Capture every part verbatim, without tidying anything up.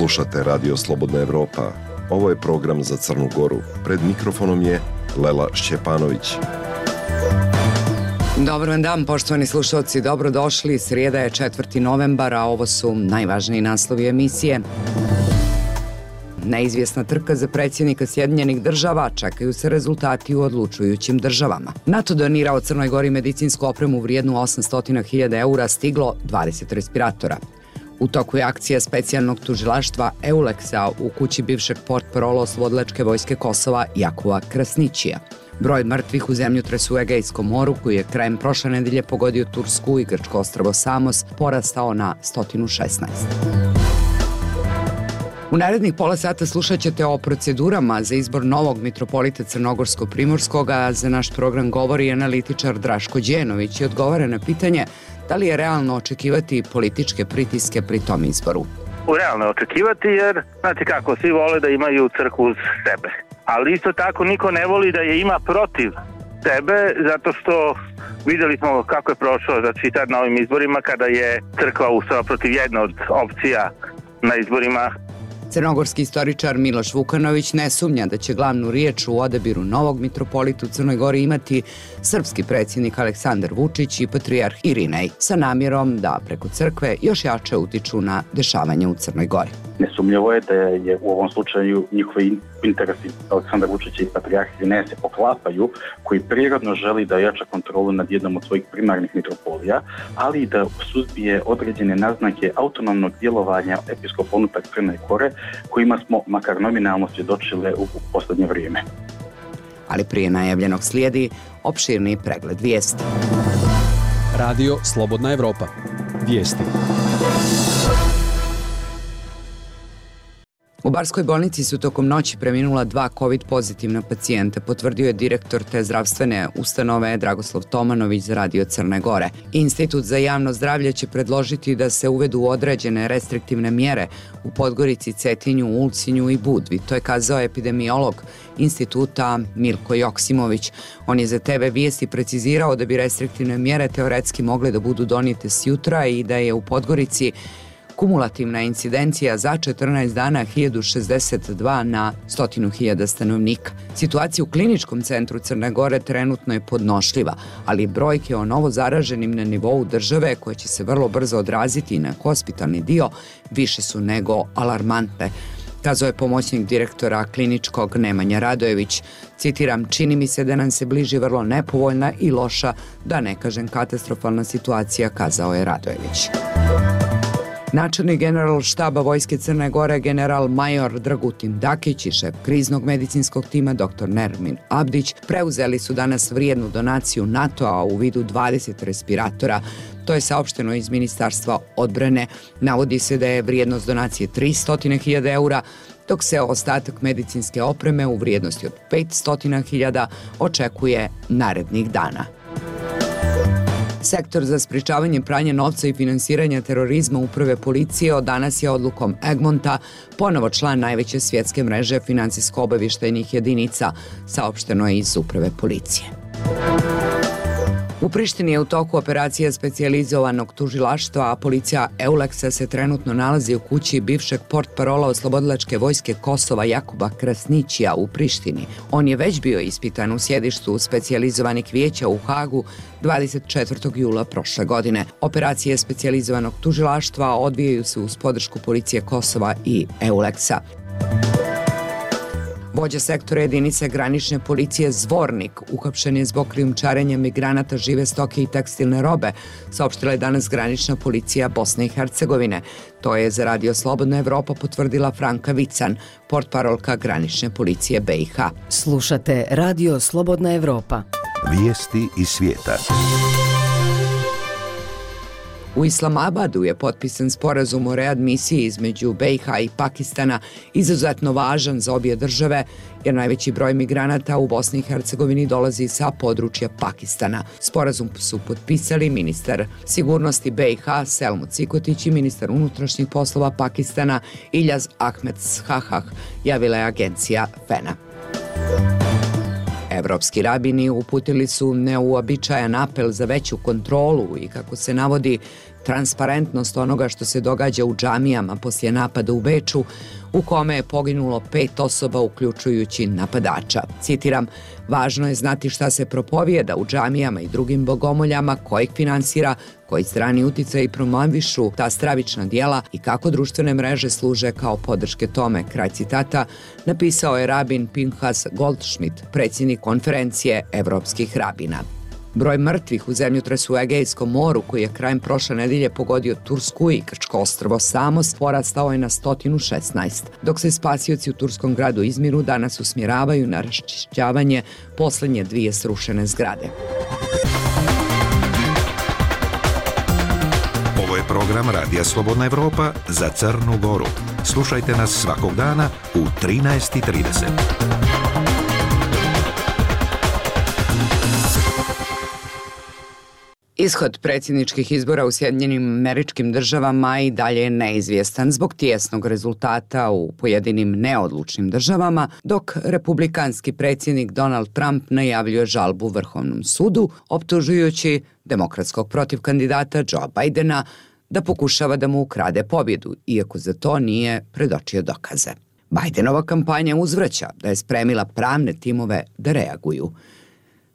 Slušate Radio Slobodna Evropa. Ovo je program za Crnu Goru. Pred mikrofonom je Lela Šćepanović. Dobar vam dan, poštovani slušalci, dobrodošli. Srijeda je četvrti novembar, a ovo su najvažniji naslovi emisije. Neizvjesna trka za predsjednika Sjedinjenih država, čekaju se rezultati u odlučujućim državama. NATO donirao Crnoj Gori medicinsku opremu vrijednu osamsto hiljada eura, stiglo dvadeset respiratora. U toku je akcija specijalnog tužilaštva Euleksa u kući bivšeg portparola oslobodilačke vojske Kosova Jakova Krasnićija. Broj mrtvih u zemljotresu u Egejskom moru, koji je krajem prošle nedelje pogodio Tursku i grčko ostrvo Samos, porastao na sto šesnaest. U narednih pola sata slušat ćete o procedurama za izbor novog mitropolita Crnogorsko-Primorskog, a za naš program govori analitičar Draško Đenović i odgovara na pitanje da li je realno očekivati političke pritiske pri tom izboru. Realno je očekivati jer, znate kako, svi vole da imaju crkvu uz sebe. Ali isto tako niko ne voli da je ima protiv sebe, zato što vidjeli smo kako je prošlo, znači sad na ovim izborima kada je crkva ustala protiv jedne od opcija na izborima. Crnogorski istoričar Miloš Vukanović ne sumnja da će glavnu riječ u odabiru novog mitropolita u Crnoj Gori imati srpski predsjednik Aleksandar Vučić i patrijarh Irinej, sa namjerom da preko crkve još jače utiču na dešavanje u Crnoj Gori. Nesumnjivo je da je u ovom slučaju njihovi interesi Aleksandar Vučića i patrijarh Irinej se poklapaju, koji prirodno želi da jača kontrolu nad jednom od svojih primarnih mitropolija, ali i da suzbije određene naznake autonomnog djelovanja episkopa unutar Crne Gore, kojima smo makar nominalno svjedočile u posljednje vrijeme. Ali prije najavljenog slijedi opširni pregled vijesti. Radio Slobodna Evropa. Vijesti. U Barskoj bolnici su tokom noći preminula dva COVID pozitivna pacijenta, potvrdio je direktor te zdravstvene ustanove Dragoslav Tomanović za Radio Crne Gore. Institut za javno zdravlje će predložiti da se uvedu određene restriktivne mjere u Podgorici, Cetinju, Ulcinju i Budvi. To je kazao epidemiolog instituta Milko Joksimović. On je za te ve Vijesti precizirao da bi restriktivne mjere teoretski mogle da budu donijete sjutra i da je u Podgorici kumulativna incidencija za četrnaest dana hiljadu šezdeset dva na stotinu hiljada stanovnika. Situacija u kliničkom centru Crne Gore trenutno je podnošljiva, ali brojke o novo zaraženim na nivou države, koje će se vrlo brzo odraziti na hospitalni dio, više su nego alarmantne, kazao je pomoćnik direktora kliničkog Nemanja Radojević. Citiram, čini mi se da nam se bliži vrlo nepovoljna i loša, da ne kažem katastrofalna situacija, kazao je Radojević. Načelnik general štaba Vojske Crne Gore general major Dragutin Dakić i šef kriznog medicinskog tima dr Nermin Abdić preuzeli su danas vrijednu donaciju NATO-a u vidu dvadeset respiratora. To je saopšteno iz Ministarstva odbrane. Navodi se da je vrijednost donacije tristo hiljada eura, dok se ostatak medicinske opreme u vrijednosti od petsto hiljada očekuje narednih dana. Sektor za sprječavanje pranja novca i finansiranja terorizma Uprave policije od danas je odlukom Egmonta ponovo član najveće svjetske mreže financijsko-obavještajnih jedinica, saopšteno je iz Uprave policije. U Prištini je u toku operacija specijalizovanog tužilaštva, a policija Euleksa se trenutno nalazi u kući bivšeg portparola oslobodilačke vojske Kosova Jakova Krasnićija u Prištini. On je već bio ispitan u sjedištu specijalizovanih vijeća u Hagu dvadeset četvrtog jula prošle godine. Operacije specijalizovanog tužilaštva odvijaju se uz podršku policije Kosova i Euleksa. Vođa sektora jedinice granične policije Zvornik uhapšen je zbog krijumčarenja migranata žive stoke i tekstilne robe, saopštila je danas granična policija Bosne i Hercegovine. To je za Radio Slobodna Evropa potvrdila Franka Vican, portparolka granične policije be i ha. Slušate Radio Slobodna Evropa. Vijesti iz svijeta. U Islamabadu je potpisan sporazum o readmisiji između be i ha i Pakistana, izuzetno važan za obje države, jer najveći broj migranata u Bosni i Hercegovini dolazi sa područja Pakistana. Sporazum su potpisali ministar sigurnosti be i ha Selmu Cikotić i ministar unutrašnjih poslova Pakistana Iljaz Ahmed Shahah, javila je agencija fena. Evropski rabini uputili su neuobičajan apel za veću kontrolu i, kako se navodi, transparentnost onoga što se događa u džamijama poslije napada u Beču, u kome je poginulo pet osoba uključujući napadača. Citiram, važno je znati šta se propovijeda u džamijama i drugim bogomoljama, ko ih finansira, koji strani uticaj promovišu ta stravična dijela i kako društvene mreže služe kao podrške tome. Kraj citata napisao je rabin Pinhas Goldschmidt, predsjednik konferencije evropskih rabina. Broj mrtvih u zemljotresu u Egejskom moru, koji je krajem prošle nedelje pogodio Tursku i Grčko ostrvo Samos, porastao je na sto šesnaest, dok se spasioci u turskom gradu Izmiru danas usmjeravaju na raščišćavanje posljednje dvije srušene zgrade. Ovo je program Radija Slobodna Evropa za Crnu Goru. Slušajte nas svakog dana u trinaest i trideset. Ishod predsjedničkih izbora u Sjedinjenim Američkim Državama i dalje je neizvjestan zbog tijesnog rezultata u pojedinim neodlučnim državama, dok republikanski predsjednik Donald Trump najavljuje žalbu Vrhovnom sudu, optužujući demokratskog protivkandidata Joe Bidena da pokušava da mu ukrade pobjedu, iako za to nije predočio dokaze. Bidenova kampanja uzvraća da je spremila pravne timove da reaguju.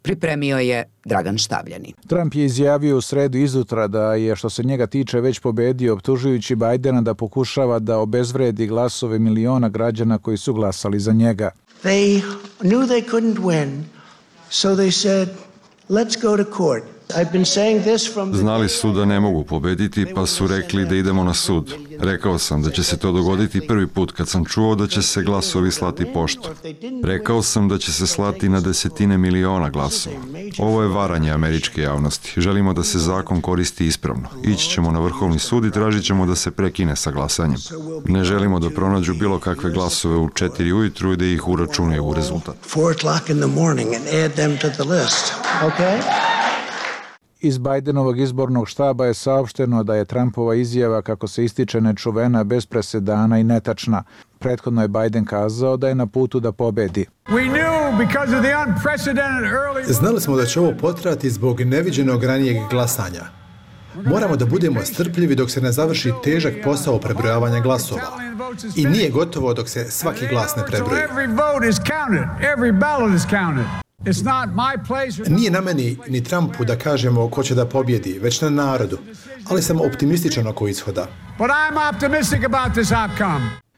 Pripremio je Dragan Štavljani. Trump je izjavio u sredu izutra da je, što se njega tiče, već pobedio, optužujući Bidena da pokušava da obezvredi glasove miliona građana koji su glasali za njega. They knew they couldn't win, so they said, let's go to court. Znali su da ne mogu pobediti, pa su rekli da idemo na sud. Rekao sam da će se to dogoditi prvi put kad sam čuo da će se glasovi slati poštom. Rekao sam da će se slati na desetine miliona glasova. Ovo je varanje američke javnosti. Želimo da se zakon koristi ispravno. Ići ćemo na Vrhovni sud i tražit ćemo da se prekine sa glasanjem. Ne želimo da pronađu bilo kakve glasove u četiri ujutru i da ih uračunaju u rezultat. Iz Bidenovog izbornog štaba je saopšteno da je Trumpova izjava, kako se ističe, nečuvena, bez presedana i netačna. Prethodno je Biden kazao da je na putu da pobedi. Znali smo da će ovo potrajati zbog neviđenog ranijeg glasanja. Moramo da budemo strpljivi dok se ne završi težak posao prebrojavanja glasova. I nije gotovo dok se svaki glas ne prebroji. Nije na meni ni Trumpu da kažemo ko će da pobjedi, već na narodu, ali sam optimističan oko ishoda.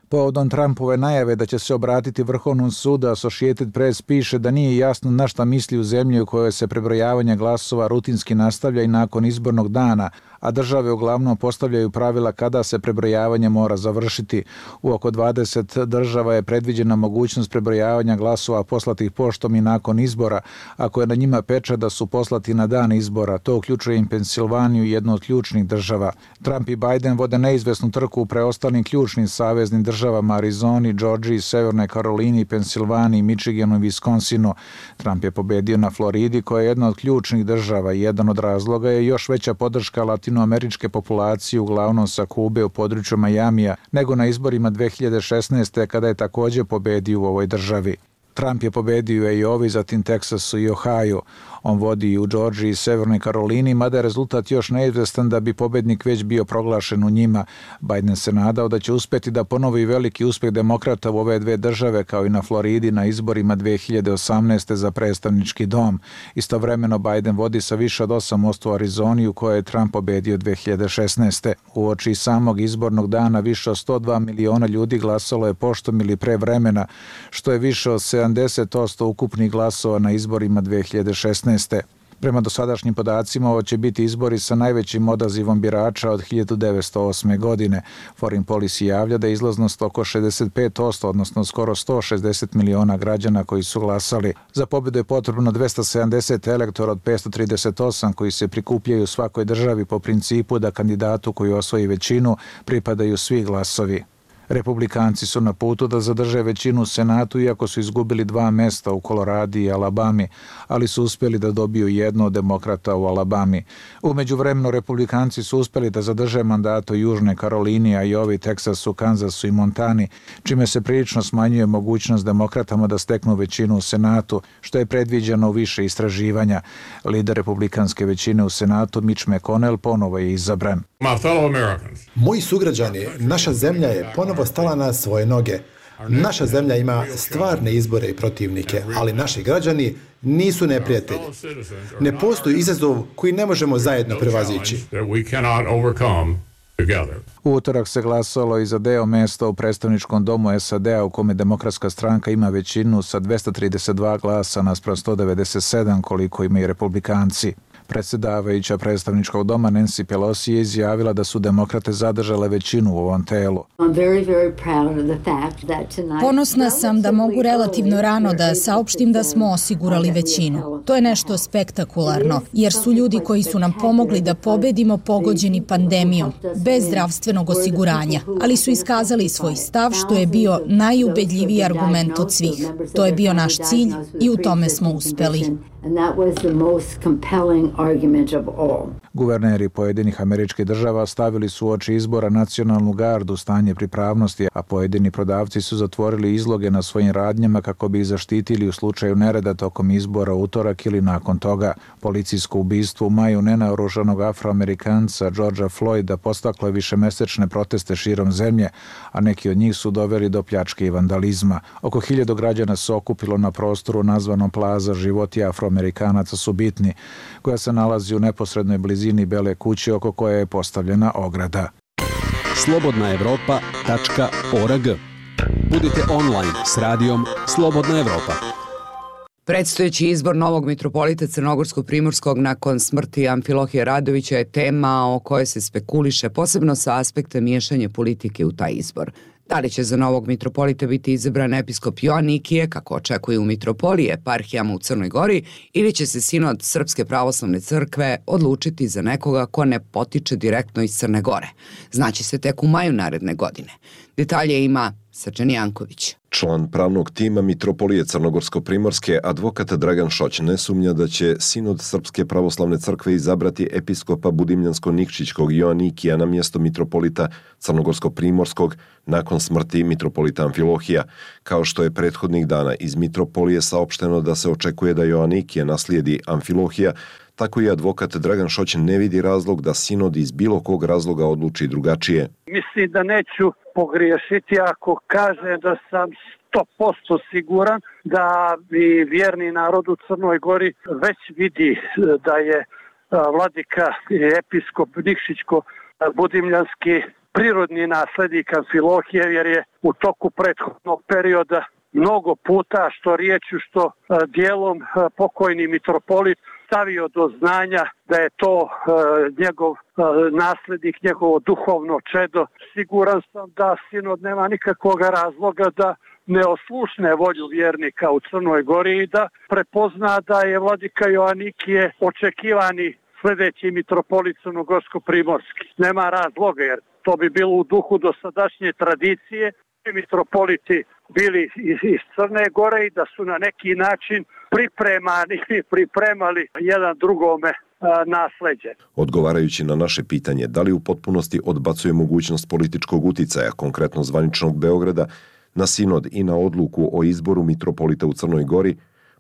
Povodom Trumpove najave da će se obratiti Vrhovnom sudu, Associated Press piše da nije jasno na šta misli u zemlji u kojoj se prebrojavanje glasova rutinski nastavlja i nakon izbornog dana, a države uglavnom postavljaju pravila kada se prebrojavanje mora završiti. U oko dvadeset država je predviđena mogućnost prebrojavanja glasova poslatih poštom i nakon izbora, ako je na njima pečat da su poslati na dan izbora. To uključuje i Pensilvaniju, jednu od ključnih država. Trump i Biden vode neizvesnu trku u preostalim ključnim saveznim državama Arizoni, Georgiji, Severnoj Karolini, Pensilvaniji, Michiganu i Wisconsinu. Trump je pobedio na Floridi, koja je jedna od ključnih država i jedan od razloga je još veća podrška latinoameričke populacije, uglavnom sa Kube u području Majamija, nego na izborima dve hiljade šesnaeste. kada je također pobedio u ovoj državi. Trump je pobedio i ovi, zatim Teksasu i Ohio. On vodi i u Georgiji i Severnoj Karolini, mada je rezultat još neizvestan da bi pobednik već bio proglašen u njima. Biden se nadao da će uspjeti da ponovi veliki uspjeh demokrata u ove dve države, kao i na Floridi na izborima dve hiljade osamnaeste. za predstavnički dom. Istovremeno Biden vodi sa više od osam posto u Arizoni, u kojoj je Trump pobedio dve hiljade šesnaeste. Uoči samog izbornog dana više od sto dva miliona ljudi glasalo je poštom ili pre vremena, što je više od sedamdeset posto ukupnih glasova na izborima dve hiljade šesnaeste. Prema dosadašnjim podacima, ovo će biti izbori sa najvećim odazivom birača od hiljadu devetsto osme. godine. Foreign Policy javlja da je izlaznost oko šezdeset pet posto, odnosno skoro sto šezdeset miliona građana koji su glasali. Za pobjedu je potrebno dvesta sedamdeset elektora od petsto trideset osam koji se prikupljaju u svakoj državi po principu da kandidatu koji osvoji većinu pripadaju svi glasovi. Republikanci su na putu da zadrže većinu u Senatu, iako su izgubili dva mesta u Koloradi i Alabami, ali su uspjeli da dobiju jedno od demokrata u Alabami. U međuvremenu Republikanci su uspjeli da zadrže mandat u Južnoj Karolini, a i ovi Teksasu, Kanzasu i Montani, čime se prilično smanjuje mogućnost demokratama da steknu većinu u Senatu, što je predviđeno u više istraživanja. Lider republikanske većine u Senatu, Mitch McConnell, ponovo je izabran. Moji sugrađani, naša zemlja je ponovo stala na svoje noge. Naša zemlja ima stvarne izbore i protivnike, ali naši građani nisu neprijatelji. Ne postoji izazov koji ne možemo zajedno prevazići. U utorak se glasalo i za deo mesta u predstavničkom domu S A D-a u kome Demokratska stranka ima većinu sa dvesta trideset dva glasa naspram sto devedeset sedam koliko imaju republikanci. Predsjedavajuća predstavničkog doma Nancy Pelosi je izjavila da su demokrate zadržale većinu u ovom telu. Ponosna sam da mogu relativno rano da saopštim da smo osigurali većinu. To je nešto spektakularno, jer su ljudi koji su nam pomogli da pobedimo pogođeni pandemijom, bez zdravstvenog osiguranja, ali su iskazali svoj stav što je bio najubedljiviji argument od svih. To je bio naš cilj i u tome smo uspeli. Guverneri pojedinih američkih država stavili su uoči izbora nacionalnu gardu stanje pripravnosti, a pojedini prodavci su zatvorili izloge na svojim radnjama kako bi ih zaštitili u slučaju nereda tokom izbora utorak ili nakon toga. Policijsko ubistvo u maju nenaoružanog Afroamerikanca Georgea Floyda podstaklo je višemesečne proteste širom zemlje, a neki od njih su doveli do pljačke i vandalizma. Oko hiljadu građana se okupilo na prostoru nazvanom Plaza Životi Afroamerikanaca su bitni, koja se nalazi u neposrednoj blizini Bele kuće oko koje je postavljena ograda. slobodna evropa tačka org. Budite online s radijom Slobodna Evropa. Predstojeći izbor novog mitropolita Crnogorsko-Primorskog nakon smrti Amfilohija Radovića je tema o kojoj se spekuliše posebno sa aspekta miješanja politike u taj izbor. Da li će za novog mitropolita biti izabran episkop Joanikije, kako očekuju u mitropolije eparhijama u Crnoj Gori, ili će se sinod Srpske pravoslavne crkve odlučiti za nekoga ko ne potiče direktno iz Crne Gore? Znaće se tek u maju naredne godine. Detalje ima Srđan Janković. Član pravnog tima mitropolije Crnogorsko-Primorske, advokat Dragan Šoć, ne sumnja da će sinod Srpske pravoslavne crkve izabrati episkopa Budimljansko-Nikšićkog Joanikija na mjesto mitropolita Crnogorsko-Primorskog nakon smrti mitropolita Amfilohija. Kao što je prethodnih dana iz mitropolije saopšteno da se očekuje da Joanikije naslijedi Amfilohija, tako i advokat Dragan Šoć ne vidi razlog da sinod iz bilo kog razloga odluči drugačije. Mislim da neću pogriješiti ako kažem da sam sto posto siguran da i vjerni narod u Crnoj Gori već vidi da je vladika i episkop Nikšićko-Budimljanski prirodni naslednik Amfilohije, jer je u toku prethodnog perioda mnogo puta, što riječju, što dijelom, pokojni mitropolit stavio do znanja da je to e, njegov e, naslednik, njegovo duhovno čedo. Siguran sam da sinod nema nikakvog razloga da ne oslušne volju vjernika u Crnoj Gori i da prepozna da je vladika Joanikije očekivani sljedeći mitropolit Crnogorsko-Primorski. Nema razloga, jer to bi bilo u duhu dosadašnje tradicije. Mitropoliti bili iz, iz Crne Gore i da su na neki način pripremani i pripremali jedan drugome a, nasleđe. Odgovarajući na naše pitanje da li u potpunosti odbacuje mogućnost političkog uticaja, konkretno zvaničnog Beograda, na sinod i na odluku o izboru mitropolita u Crnoj Gori,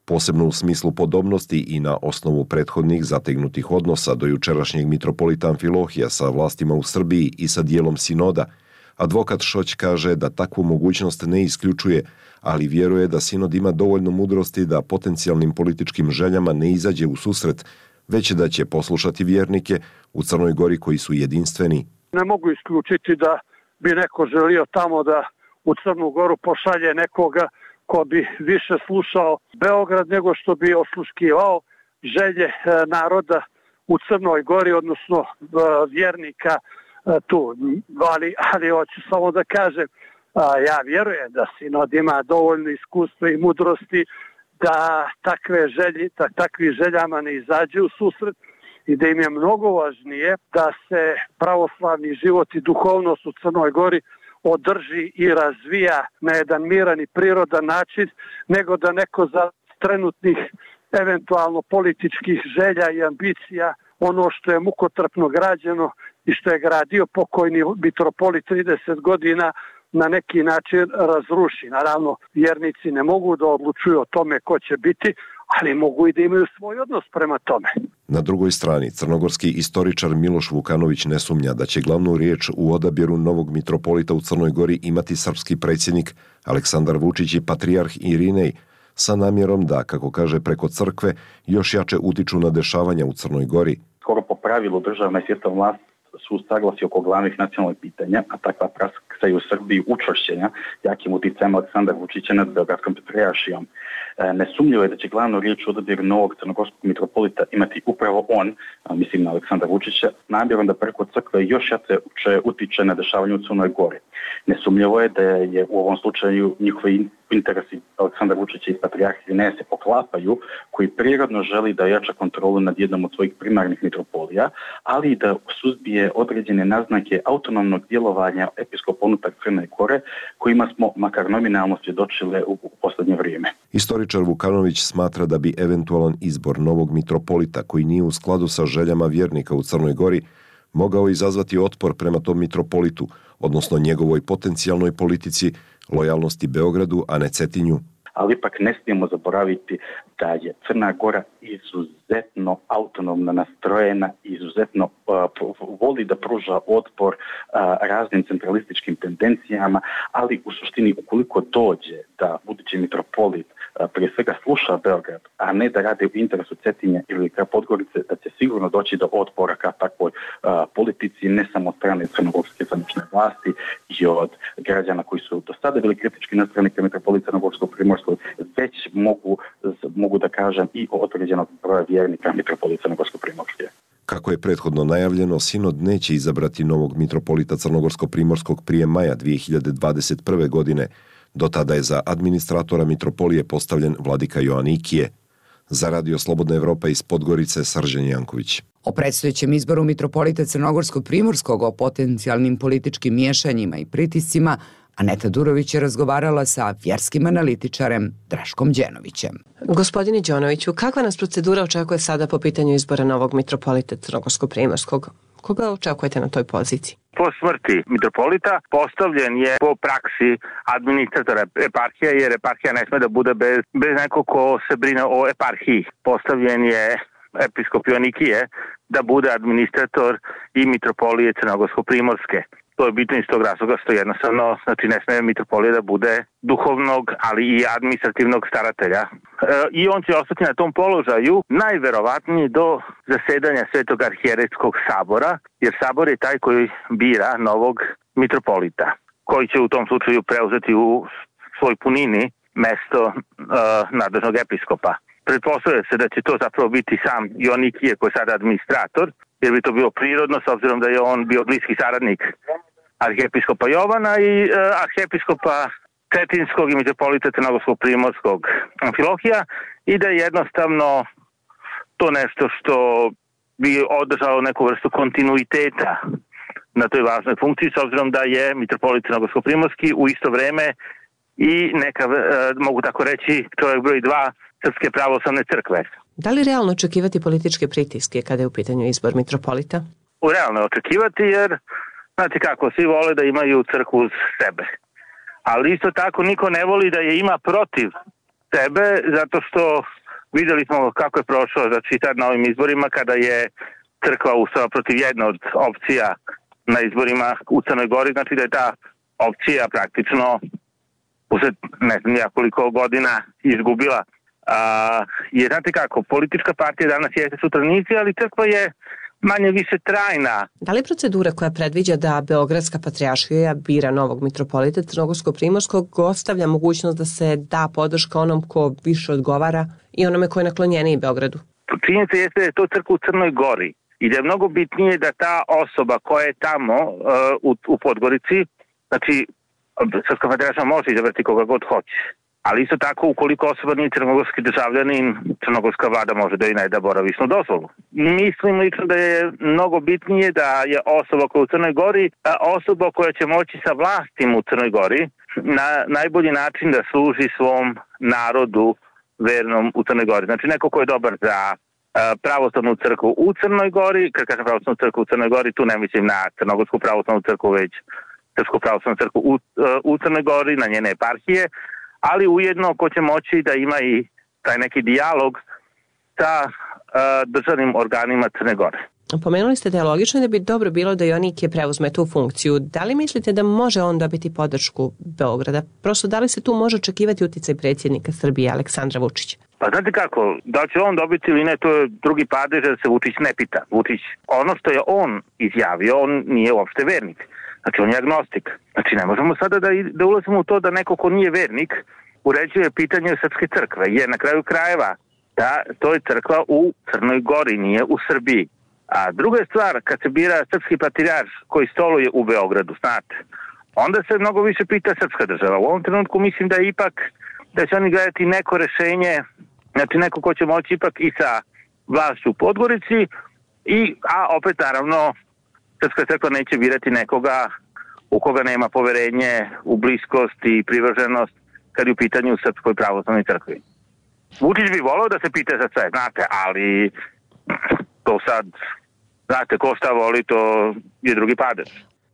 posebno u smislu podobnosti i na osnovu prethodnih zategnutih odnosa do jučerašnjeg mitropolita Amfilohija sa vlastima u Srbiji i sa dijelom sinoda, advokat Šoć kaže da takvu mogućnost ne isključuje, ali vjeruje da sinod ima dovoljno mudrosti da potencijalnim političkim željama ne izađe u susret, već da će poslušati vjernike u Crnoj Gori koji su jedinstveni. Ne mogu isključiti da bi neko želio tamo da u Crnu Goru pošalje nekoga ko bi više slušao Beograd nego što bi osluškivao želje naroda u Crnoj Gori, odnosno vjernika tu. Ali, ali hoću samo da kažem, ja vjerujem da sinod ima dovoljno iskustva i mudrosti da takve želje, da takvi željama ne izađe u susret i da im je mnogo važnije da se pravoslavni život i duhovnost u Crnoj Gori održi i razvija na jedan miran i prirodan način, nego da neko za trenutnih eventualno političkih želja i ambicija ono što je mukotrpno građeno i što je gradio pokojni mitropolit trideset godina na neki način razruši. Naravno, vjernici ne mogu da odlučuju o tome ko će biti, ali mogu i da imaju svoj odnos prema tome. Na drugoj strani, crnogorski istoričar Miloš Vukanović ne sumnja da će glavnu riječ u odabiru novog mitropolita u Crnoj Gori imati srpski predsjednik Aleksandar Vučić i patrijarh Irinej, sa namjerom da, kako kaže, preko crkve još jače utiču na dešavanja u Crnoj Gori. Skoro po pravilu državna i svjetska vlast su saglasi oko glavnih nacionalnih pitanja, a takva praksa je u Srbiji učvršćenja jakim uticajem Aleksandra Vučića nad Beogradskom patrijaršijom. Nesumnjivo je da će glavnu riječ u odabiru novog crnogorskog mitropolita imati upravo on, mislim na Aleksandra Vučića, namjerom da preko crkve još jače utiče na dešavanje u Crnoj Gori. Nesumnjivo je da je u ovom slučaju njihovi interesi Aleksandra Vučića i patrijarha Irineja se poklapaju, koji prirodno želi da jača kontrolu nad jednom od svojih primarnih mitropolija, ali i da suzbije određene naznake autonomnog djelovanja episkopa unutar Crne Gore, kojima smo makar nominalno svjedočile u, u posljednje vrijeme. Istoričar Vukanović smatra da bi eventualan izbor novog mitropolita, koji nije u skladu sa željama vjernika u Crnoj Gori, mogao izazvati otpor prema tom mitropolitu, odnosno njegovoj potencijalnoj politici lojalnosti Beogradu, a ne Cetinju. Ali ipak ne smijemo zaboraviti da je Crna Gora izuzetno autonomno nastrojena, izuzetno uh, voli da pruža otpor uh, raznim centralističkim tendencijama, ali u suštini ukoliko dođe da budući mitropolit uh, prije svega sluša Beograd, a ne da radi u interesu Cetinja ili Podgorice, da će sigurno doći do otpora ka takvoj uh, politici, ne samo od strane crnogorske zvanične vlasti i od građana koji su do sada bili kritički nastrojeni ka mitropolita Crnogorskog Primorskog, već mogu, mogu da kažem i o određenog broja vjernika mitropolita Crnogorsko-Primorske. Kako je prethodno najavljeno, sinod neće izabrati novog mitropolita Crnogorsko-Primorskog prije maja dvije hiljade dvadeset prve. godine. Do tada je za administratora mitropolije postavljen vladika Joanikije. Za Radio Slobodna Evropa iz Podgorice, Srđan Janković. O predstojećem izboru mitropolita Crnogorsko-Primorskog, o potencijalnim političkim miješanjima i pritiscima, Aneta Durović je razgovarala sa vjerskim analitičarem Draškom Đenovićem. Gospodine Đenoviću, kakva nas procedura očekuje sada po pitanju izbora novog mitropolita Crnogorsko-Primorskog? Koga očekujete na toj poziciji? Po smrti mitropolita postavljen je po praksi administratora eparhija, jer eparhija ne sme da bude bez, bez nekog ko se brine o eparhiji. Postavljen je episkop Joanikije da bude administrator i mitropolije Crnogorsko-Primorske. To je bitno iz tog razloga što jednostavno, znači ne smije mitropolija da bude duhovnog, ali i administrativnog staratelja. E, I on će ostati na tom položaju najverovatnije do zasedanja Svetog arhijerejskog sabora, jer sabor je taj koji bira novog mitropolita, koji će u tom slučaju preuzeti u svoj punini mesto e, nadležnog episkopa. Pretpostavlja se da će to zapravo biti sam Joanikije koji je sada administrator, jer bi to bilo prirodno s obzirom da je on bio bliski saradnik arhijepiskopa Jovana i e, arhijepiskopa Cetinskog i mitropolita Crnogorskog Primorskog Amfilohija i da je jednostavno to nešto što bi održalo neku vrstu kontinuiteta na toj važnoj funkciji s obzirom da je mitropolit Crnogorskog Primorski u isto vreme i neka, e, mogu tako reći, čovjek broj dva Srpske pravoslavne crkve. Da li realno očekivati političke pritiske kada je u pitanju izbor mitropolita? U realno je očekivati jer, znate kako, svi vole da imaju crkvu uz sebe. Ali isto tako niko ne voli da je ima protiv sebe, zato što vidjeli smo kako je prošlo, znači sad na ovim izborima kada je crkva ustala protiv jedne od opcija na izborima u Crnoj Gori, znači da je ta opcija praktično usled ne znam ja koliko godina izgubila. A, je, znate kako, politička partija danas jeste sutranici, ali crkva je manje više trajna. Da li procedura koja predviđa da Beogradska patrijaršija bira novog mitropolita Crnogorsko-Primorskog ostavlja mogućnost da se da podrška onom ko više odgovara i onome ko je naklonjeniji Beogradu? Činjenica jeste da je to crkva u Crnoj Gori i da je mnogo bitnije da ta osoba koja je tamo uh, u, u Podgorici, znači Srpska patrijaršija može izabrati koga god hoće. Ali isto tako, ukoliko osoba nije crnogorski državljanin, crnogorska vlada može da i ne da boravišnu dozvolu. Mislim lično da je mnogo bitnije da je osoba koja je u Crnoj Gori, osoba koja će moći sa vlastim u Crnoj Gori na najbolji način da služi svom narodu vernom u Crnoj Gori. Znači neko ko je dobar za pravoslavnu crkvu u Crnoj Gori, kad kažem pravoslavnu crkvu u Crnoj Gori, tu ne mislim na crnogorsku pravoslavnu crkvu, već Srpsku pravoslavnu crkvu u, u Crnoj Gori, na njene eparhije, ali ujedno ko će moći da ima i taj neki dijalog sa državnim organima Crne Gore. Pomenuli ste da je logično da bi dobro bilo da Joanikije preuzme tu funkciju. Da li mislite da može on dobiti podršku Beograda? Prosto, da li se tu može očekivati uticaj predsjednika Srbije Aleksandra Vučića? Pa znate kako, da će on dobiti ili ne, to je drugi padež da se Vučić ne pita. Vučić, ono što je on izjavio, on nije uopšte vernik. Znači, on je agnostik. Znači, ne možemo sada da, da ulazimo u to da neko ko nije vernik uređuje pitanje Srpske crkve, jer na kraju krajeva da to je crkva u Crnoj Gori, nije u Srbiji. A druga je stvar, kad se bira srpski patrijarh koji stoluje u Beogradu, znate, onda se mnogo više pita srpska država. U ovom trenutku mislim da ipak da će oni gledati neko rešenje, znači neko ko će moći ipak i sa vlašću u Podgorici, i, a opet naravno Srpska crkva neće birati nekoga u koga nema poverenje u bliskost i privrženost kad je u pitanju Srpskoj pravoslavnoj crkvi. Vučić bi volao da se pita za sve, znate, ali to sad, znate, ko šta voli, to je drugi padež.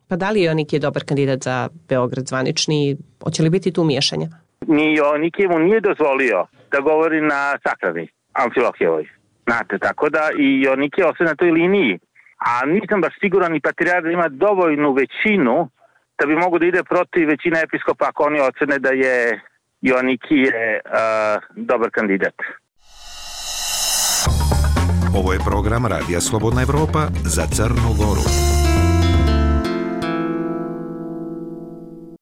Pa da li Joanikije je dobar kandidat za Beograd zvanični? Hoće li biti tu miješanja? Ni Joanikije mu nije dozvolio da govori na sakrani Amfilohijevoj. Znate, tako da i Joanikije ostaje na toj liniji. A nisam baš siguran i patrijarh da ima dovoljnu većinu da bi mogu da ide protiv većine episkopa ako oni ocene da je Joanikije uh, dobar kandidat. Ovo je program Radija Slobodna Evropa za Crnu Goru.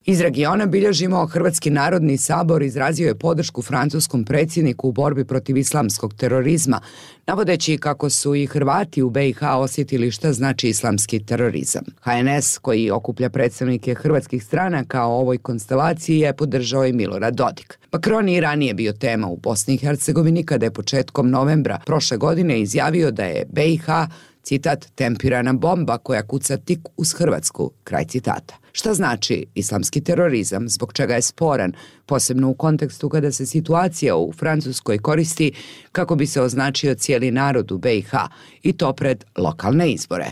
Iz regiona bilježimo Hrvatski narodni sabor izrazio je podršku francuskom predsjedniku u borbi protiv islamskog terorizma, navodeći kako su i Hrvati u be i ha osjetili šta znači islamski terorizam. ha en es, koji okuplja predstavnike hrvatskih stranaka o ovoj konstelaciji, je podržao i Milorad Dodik. Macron je i ranije bio tema u Bosni i Hercegovini kada je početkom novembra prošle godine izjavio da je be i ha, citat, tempirana bomba koja kuca tik uz Hrvatsku, kraj citata. Šta znači islamski terorizam, zbog čega je sporan, posebno u kontekstu kada se situacija u Francuskoj koristi kako bi se označio cijeli narod u be i ha, i to pred lokalne izbore?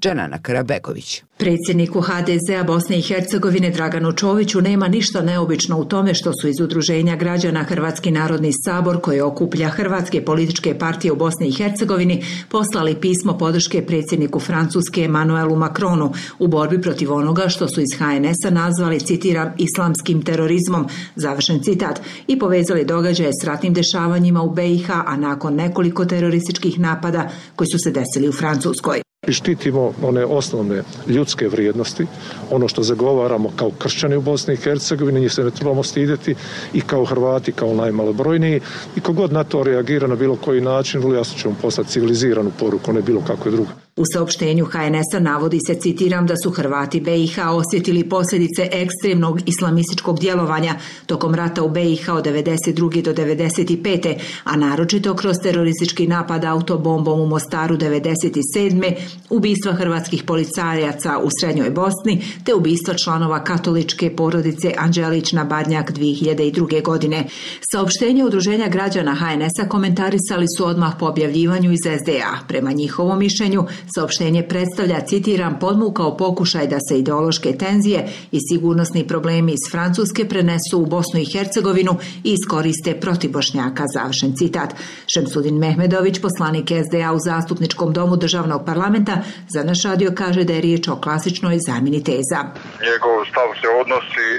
Dženana Karabegović. Predsjedniku ha de zea Bosne i Hercegovine Draganu Čoviću nema ništa neobično u tome što su iz Udruženja građana Hrvatski narodni sabor, koji okuplja hrvatske političke partije u Bosni i Hercegovini, poslali pismo podrške predsjedniku Francuske Emmanuelu Macronu u borbi protiv onoga što su iz ha en es-a nazvali, citiram, islamskim terorizmom, završen citat, i povezali događaje s ratnim dešavanjima u be i ha, a nakon nekoliko terorističkih napada koji su se desili u Francuskoj. I štitimo one osnovne ljudske vrijednosti, ono što zagovaramo kao kršćani u Bosni i Hercegovini, njih se ne trebamo stidjeti, i kao Hrvati, kao najmalobrojniji, i kogod na to reagira na bilo koji način, vrlo jasno ćemo poslati civiliziranu poruku, ne bilo kakve druge. U saopštenju ha en es-a navodi se, citiram, da su Hrvati be i ha osjetili posljedice ekstremnog islamističkog djelovanja tokom rata u be i ha od devedeset druge do devedeset pete, a naročito kroz teroristički napad autobombom u Mostaru devedeset sedme, ubistva hrvatskih policajaca u Srednjoj Bosni, te ubistva članova katoličke porodice Anđelić na Badnjak dvije hiljade druge. godine. Saopštenje Udruženja građana ha en es-a komentarisali su odmah po objavljivanju iz es de a. Prema njihovom mišljenju, saopštenje predstavlja, citiram, podmukao pokušaj da se ideološke tenzije i sigurnosni problemi iz Francuske prenesu u Bosnu i Hercegovinu i iskoriste protiv Bošnjaka, završen citat. Šemsudin Mehmedović, poslanik es de a u Zastupničkom domu državnog parlamenta, za naš radio kaže da je riječ o klasičnoj zamjeni teza. Njegov stav se odnosi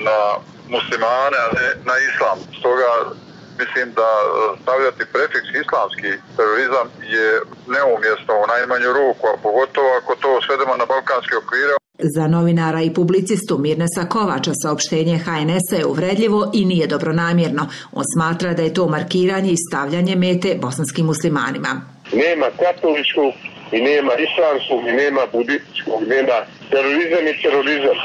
na muslimane, a ne na islam. Stoga mislim da stavljati prefiks islamski terorizam je neumjesno u najmanju ruku, a pogotovo ako to svedemo na balkanske okvire. Za novinara i publicistu Mirnesa Kovača saopštenje ha en es-a je uvredljivo i nije dobronamjerno. On smatra da je to markiranje i stavljanje mete bosanskim muslimanima. Nema katoličkog i nema islamskog i nema budističkog, nema terorizam i terorizam.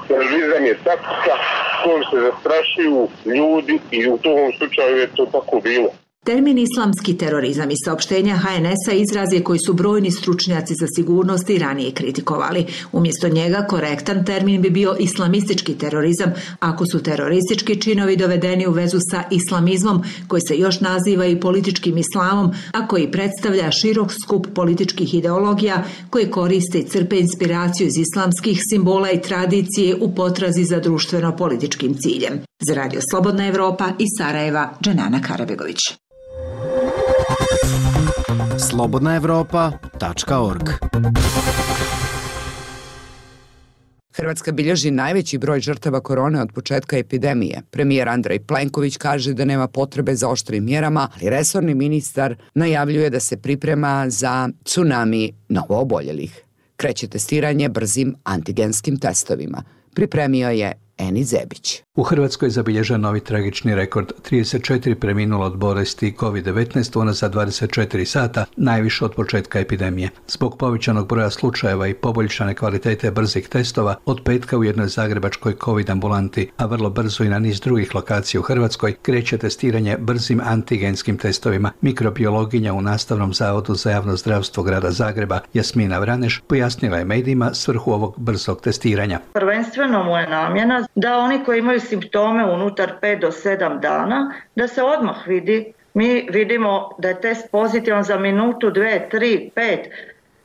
Terorizam je taktika kojom se zastrašuju ljudi i u tom slučaju je to tako bilo. Termin islamski terorizam i saopštenja ha en es-a izraz je koji su brojni stručnjaci za sigurnost i ranije kritikovali. Umjesto njega korektan termin bi bio islamistički terorizam, ako su teroristički činovi dovedeni u vezu sa islamizmom, koji se još naziva i političkim islamom, a koji predstavlja širok skup političkih ideologija koje koriste i crpe inspiraciju iz islamskih simbola i tradicije u potrazi za društveno-političkim ciljem. Za Radio Slobodna Evropa iz Sarajeva, Dženana Karabegović. slobodna evropa tačka org. Hrvatska bilježi najveći broj žrtava korone od početka epidemije. Premijer Andrej Plenković kaže da nema potrebe za oštrim mjerama, ali resorni ministar najavljuje da se priprema za tsunami novooboljelih. Kreće testiranje brzim antigenskim testovima. Pripremio je Eni Zebić. U Hrvatskoj je zabilježen novi tragični rekord, trideset četiri preminulo od bolesti kovid devetnaest unazad dvadeset četiri sata, najviše od početka epidemije. Zbog povećanog broja slučajeva i poboljšane kvalitete brzih testova, od petka u jednoj zagrebačkoj covid ambulanti, a vrlo brzo i na niz drugih lokacija u Hrvatskoj, kreće testiranje brzim antigenskim testovima. Mikrobiologinja u Nastavnom zavodu za javno zdravstvo grada Zagreba, Jasmina Vraneš, pojasnila je medijima svrhu ovog brzog testiranja. Prvenstveno mu je namjena da oni koji imaju simptome unutar pet do sedam dana, da se odmah vidi. Mi vidimo da je test pozitivan za minutu, dve, tri, pet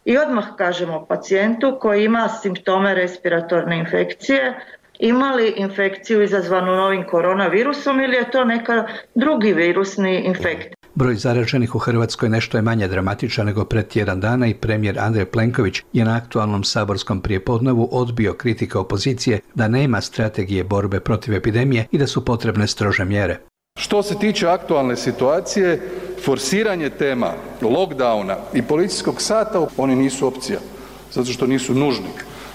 i odmah kažemo pacijentu koji ima simptome respiratorne infekcije, ima li infekciju izazvanu novim koronavirusom ili je to neka drugi virusni infekt. Broj zaraženih u Hrvatskoj nešto je manje dramatičan nego pred tjedan dana i premijer Andrej Plenković je na aktualnom saborskom prijepodnevu odbio kritike opozicije da nema strategije borbe protiv epidemije i da su potrebne strože mjere. Što se tiče aktualne situacije, forsiranje tema lockdowna i policijskog sata, oni nisu opcija, zato što nisu nužni.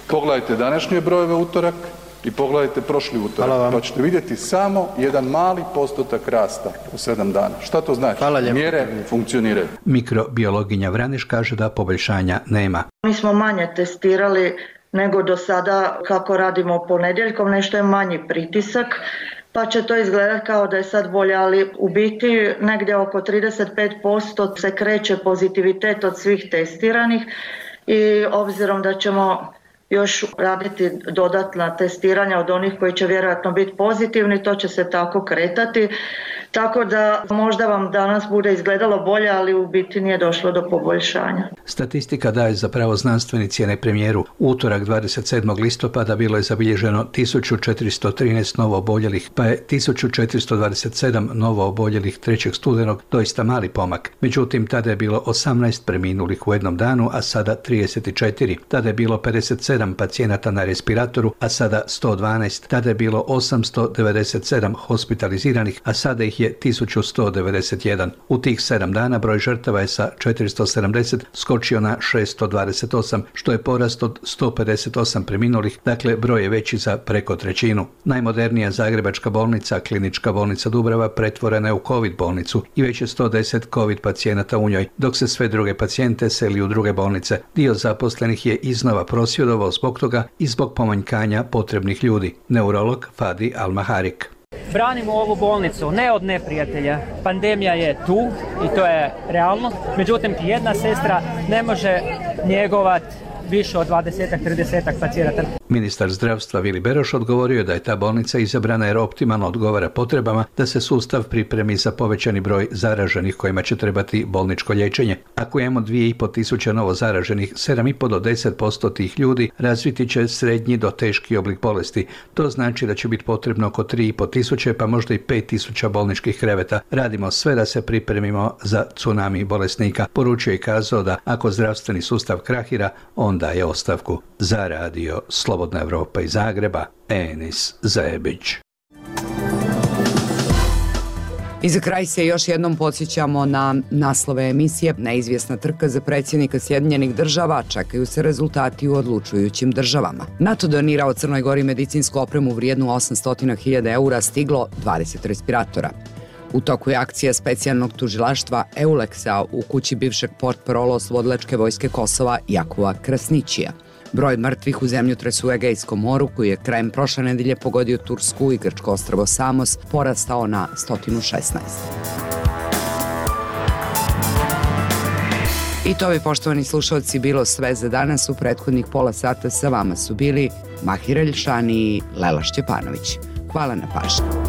Pogledajte današnje brojeve utorak i pogledajte prošli utorak, pa ćete vidjeti samo jedan mali postotak rasta u sedam dana. Šta to znači? Mjere funkcioniraju. Mikrobiologinja Vraneš kaže da poboljšanja nema. Mi smo manje testirali nego do sada kako radimo ponedjeljkom, nešto je manji pritisak, pa će to izgledati kao da je sad bolje, ali u biti negdje oko trideset pet posto se kreće pozitivitet od svih testiranih i obzirom da ćemo još raditi dodatna testiranja od onih koji će vjerojatno biti pozitivni, to će se tako kretati. Tako da možda vam danas bude izgledalo bolje, ali u biti nije došlo do poboljšanja. Statistika daje zapravo znanstvenici, a ne premijeru. Utorak dvadeset sedmog listopada bilo je zabilježeno tisuću četiristo trinaest novo oboljelih, pa je tisuću četiristo dvadeset sedam novo oboljelih trećeg studenog, doista mali pomak. Međutim, tada je bilo osamnaest preminulih u jednom danu, a sada trideset četiri. Tada je bilo pedeset sedam pacijenata na respiratoru, a sada sto dvanaest. Tada je bilo osamsto devedeset sedam hospitaliziranih, a sada ih je tisuću sto devedeset jedan. U tih sedam dana broj žrtava je sa četiristo sedamdeset skočio na šesto dvadeset osam, što je porast od sto pedeset osam preminulih, dakle broj je veći za preko trećinu. Najmodernija zagrebačka bolnica, Klinička bolnica Dubrava, pretvorena je u covid bolnicu i već je sto deset covid pacijenata u njoj, dok se sve druge pacijente seli u druge bolnice. Dio zaposlenih je iznova prosvjedovao zbog toga i zbog pomanjkanja potrebnih ljudi. Neurolog Fadi Al-Maharik. Branimo ovu bolnicu ne od neprijatelja. Pandemija je tu i to je realnost. Međutim, jedna sestra ne može njegovati više od dvadeset do trideset pacijenata. Ministar zdravstva Vili Beroš odgovorio je da je ta bolnica izabrana jer optimalno odgovara potrebama da se sustav pripremi za povećani broj zaraženih kojima će trebati bolničko liječenje. Ako imamo dvije i pol tisuće novo zaraženih, sedam i pol do deset posto tih ljudi razviti će srednji do teški oblik bolesti. To znači da će biti potrebno oko tri i pol tisuće pa možda i pet tisuća bolničkih kreveta. Radimo sve da se pripremimo za tsunami bolesnika. Poručio i kazao da ako zdravstveni sustav krahira, on daje ostavku. Za radio Slobodna Evropa iz Zagreba, Enis Zebić. I za kraj se još jednom podsjećamo na naslove emisije. Neizvjesna trka za predsjednika Sjedinjenih država, čekaju se rezultati u odlučujućim državama. NATO donirao Crnoj Gori medicinsku opremu vrijednu osamsto hiljada eura, stiglo dvadeset respiratora. U toku je akcija specijalnog tužilaštva Euleksa u kući bivšeg portparola oslobodilačke vojske Kosova Jakova Krasnićija. Broj mrtvih u zemljotresu u Egejskom moru, koji je krajem prošle nedelje pogodio Tursku i grčko ostrvo Samos, porastao na sto šesnaest. I to bi, poštovani slušalci, bilo sve za danas. U prethodnih pola sata sa vama su bili Mahir Eljšani i Lela Šćepanović. Hvala na pažnji.